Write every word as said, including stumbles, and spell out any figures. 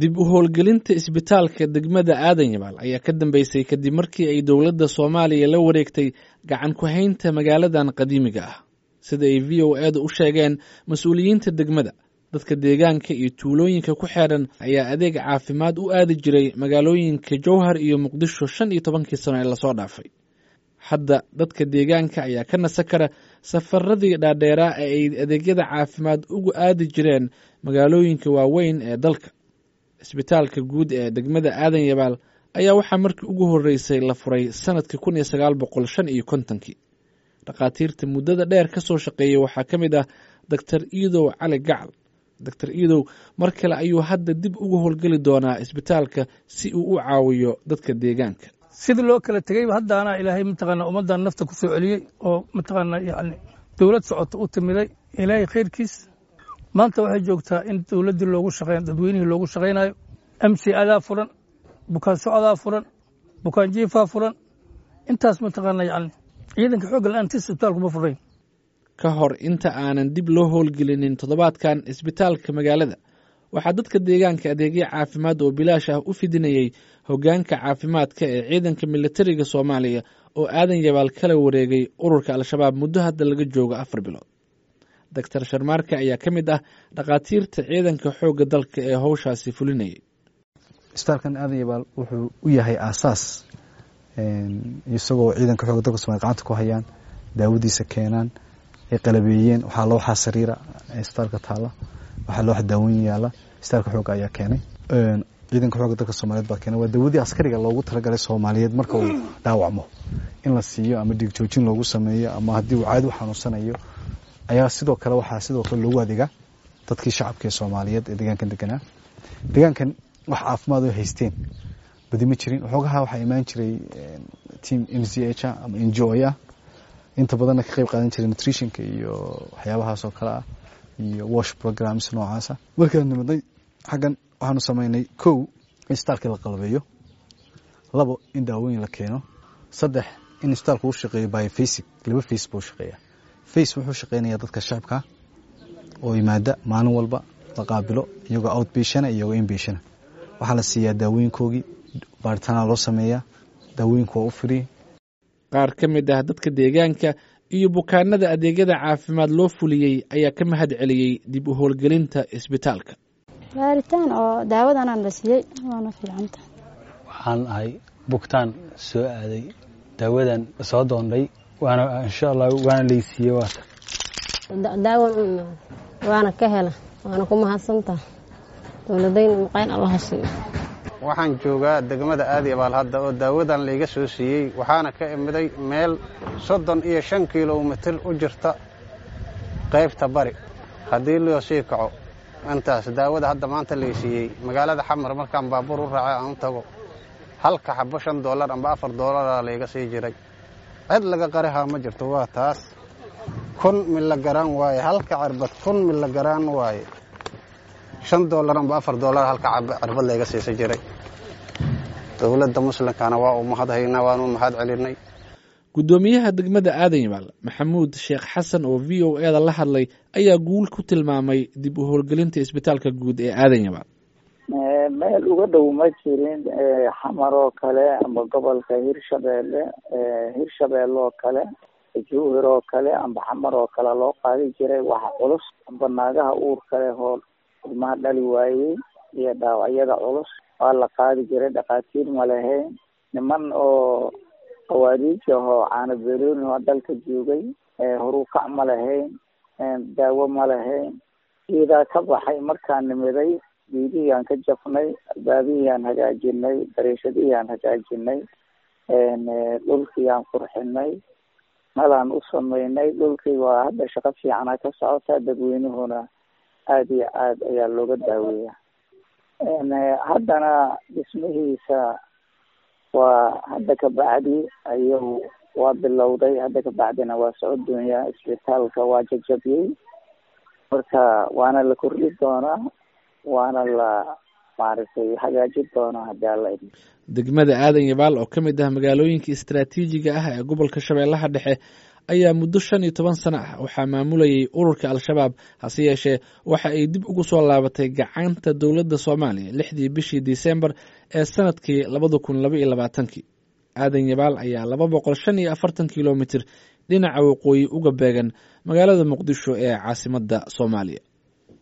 Dib u howlgelinta isbitaalka degmada Aadan Yabaal ayaa ka dambeysay kadib markii ay dowladda Soomaaliya la wareegtay gacan ku haynta magaaladan qadiimiga ah. Sida ay V O A-da u sheegeen mas-uuliyiinta degmada, dadka deegaanka iyo tuulooyinka ku xeeran ayaa adeeg caafimaad u aadi jiray magaalooyinka Jowhar iyo Muqdisho shan iyo tobankii sano ee lasoo dhaafay. Hadda dadka deegaanka ayaa ka nasan kara safaradii dhaadheeraa ee ay adeegyada caafimaad ugu aadi jireen magaalooyinka waaweyn ee dalka. Isbitaalka guud ee degmada Aadan Yabaal ayaa waxaa markii ugu horreysay la furay sanadkii kun iyo sagaal boqol shan iyo kontonkii. Dhakhaatiirta muddada dheer ka soo shaqeeyey waxaa ka mid ah Doctor Iidow Cali Gacal. Doctor Iidow mar kale ayuu hadda dib ugu howlgeli doonaa isbitaalka si uu u caawiyo dadka deegaanka. Sidii loo kala tegeyba haddaana Ilaahay mataqaana ummaddan nafta ku soo celiyey oo mataqaana yacni dowlad socota u timiday Ilaahay khayrkiis. Maanta waxay joogtaa in dowladdii loogu shaqeyn, dadweynihii loogu shaqaynayo. M C adaa furan, bukaan socodaa furan, bukaan jiifaa furan. Intaas mataqaana yacni ciidanka xoogga la'aantiis isbitaalku ma furayn. Ka hor inta aanan dib loo howlgelinin toddobaadkan isbitaalka magaalada, waxaa dadka deegaanka adeegyo caafimaad oo bilaash ah u fidinayay hoggaanka caafimaadka ee ciidanka militariga Soomaaliya oo Aadan Yabaal kala wareegay ururka Al-Shabaab muddo hadda laga joogo afar bilood. Doctor Sharmaarke ayaa ka mid ah dhakhaatiirta ciidanka xoogga dalka ee howshaasi fulinayay. Isbitaalkan Aadan Yabaal wuxuu u yahay aasaas, isagoo ciidanka xoogga dalka Soomaaliya gacanta ku hayaan, daawadiisa keenaan, ay qalabeeyeen. Waxaa loo waxaa sariira isbitaalka taala, waxaa loo daaweyn yaala, isbitaalka xoogga ayaa keenay. Ciidanka xoogga dalka Soomaaliyeed baa keenay. Waa daawadii askariga loogu talagalay Soomaaliyeed marka uu dhaawacmo in la siiyo ama dhiig joojin loogu sameeyo ama haddii uu caadi u xanuunsanayo. Ayaa sidoo kale waxaa sidoo kale loogu adeegaa dadkii shacabka ee Soomaaliyeed ee deegaankan deganaa. Deegaankan wax caafimaad oo haysteen badi ma jirin. Waxoogaha waxaa imaan jiray team M C H ama N G O ah, inta badanna ka qayb qaadan jiray nutritionka iyo waxyaabahaas oo kale ah iyo wash programs noocaasa. Markaan nimadnay xaggan waxaanu samaynay kow in isbitaalka la qalabeeyo, labo in daawooyin la keeno, saddex in isbitaalku uu shaqeeyo by facing, laba face buu shaqeeyaa. Face wuxuu shaqeynayaa dadka shacabka oo yimaada maalin walba la qaabilo iyagoo outpatient iyagoo inpatient. Waxaa la siiyaa daawooyinkoogii, baaritaana loo sameeyaa, daawooyinku waa u free. Qaar ka mid ah dadka deegaanka iyo bukaanada adeegyada caafimaad loo fuliyey ayaa ka mahad celiyey dib u howlgelinta isbitaalka. Baaritaan oo daawadan la siiyey waana fiicanta. Waxaan ahay bugtaan soo aaday, daawadan soo doondhay, waana insha Allah waana laysiiyey waata. Daawan waana ka hela, waana ku mahadsantahay dowladayna muqayn Allah siiyo. Waxaan joogaa degmada Aadan Yabaal hadda oo daawadan layga soo siiyey, waxaana ka imiday meel soddon iyo shan kiiloomitir u jirta qaybta bari. Haddii loo sii kaco intaas daawada hadda maanta lay siiyey magaalada Xamar markaan baabuur u raacay aan u tago halka xabo shan doolar amba afar doolara layga sii jiray. Cid laga qarihaa ma jirto, waa taas kun milagaraan waaye, halka cirbad kun milagaraan waaye, shan doolar amba afar doolar halka cirbad layga siisa jiray. Dowladda muslimkana waa u mahadhaynaa, waanu mahad celinay. Guddoomiyaha degmada Aadan Yabaal Maxamuud Sheekh Xasan oo V O A-da la hadlay ayaa guul ku tilmaamay dib u howlgelinta isbitaalka guud ee Aadan Yabaal. Meel uga dhow ma jirin Xamar oo kale amba gobolka Hirshabeelle, Hirshabeelle oo kale, Jowhar oo kale amba Xamar oo kale loo qaadi jiray waxa culus amba naagaha uurka leh oo ilmaha dhali waayey iyo dhaawacyada culus waa la qaadi jiray. Dhakhaatiir ma lahayn, niman oo qawaariij ahoo caano beerooni oo dalka joogay, horukac ma lahayn, daawo ma lahayn. Geedaa ka baxay markaan nimiday, geedihii aan ka jafnay, albaabihii aan hagaajinay, dariishadihii aan hagaajinay, dhulkii aan qurxinay, nalaan u sameynay. Dhulkii waa hadda shaqo fiicana ka socota, dadweynuhuna aada iyo aad ayaa looga daaweeya. Haddana dhismihiisa waa hadda ka bacdi ayuu waa bilowday, hadda ka bacdina waa socod doonyaa. Isbitaalka waa jajabiyey, marka waana la kordhi doonaa, waana la Maaragtay, hagaajin doono haddii Alla idmo. Degmada Aadan Yabaal oo ka mid ah magaalooyinka istaraatiijiga ah ee gobolka Shabeellaha Dhexe ayaa muddo shan iyo toban sano ah waxaa maamulayay ururka Al-Shabaab, hase yeeshee waxa ay dib ugu soo laabatay gacanta dowladda Soomaaliya lixdii bishii Disembar ee sanadkii labada kun laba iyo labaatankii. Aadan Yabaal ayaa laba boqol shan iyo afartan kilomitir dhinaca waqooyi uga beegan magaalada Muqdisho ee caasimadda Soomaaliya.